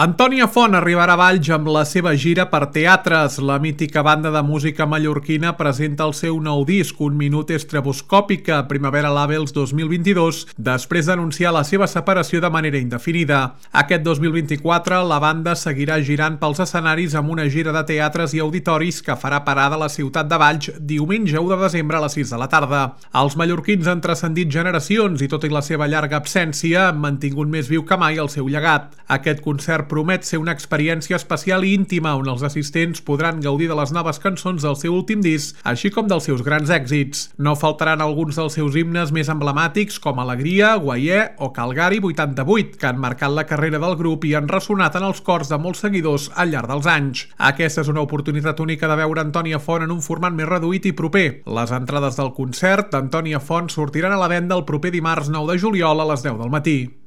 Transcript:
Antònia Font arribarà a Valls amb la seva gira per teatres. La mítica banda de música mallorquina presenta el seu nou disc, Un minut estroboscòpica, Primavera Labels 2022, després d'anunciar la seva separació de manera indefinida. Aquest 2024, la banda seguirà girant pels escenaris amb una gira de teatres i auditoris que farà parada a la ciutat de Valls diumenge 1 de desembre a les 6 de la tarda. Els mallorquins han transcendit generacions i, tot i la seva llarga absència, han mantingut més viu que mai el seu llegat. Aquest concert promet ser una experiència especial i íntima on els assistents podran gaudir de les noves cançons del seu últim disc, així com dels seus grans èxits. No faltaran alguns dels seus himnes més emblemàtics com Alegria, Guaier o Calgari 88, que han marcat la carrera del grup i han ressonat en els cors de molts seguidors al llarg dels anys. Aquesta és una oportunitat única de veure Antònia Font en un format més reduït i proper. Les entrades del concert d'Antònia Font sortiran a la venda el proper dimarts 9 de juliol a les 10 del matí.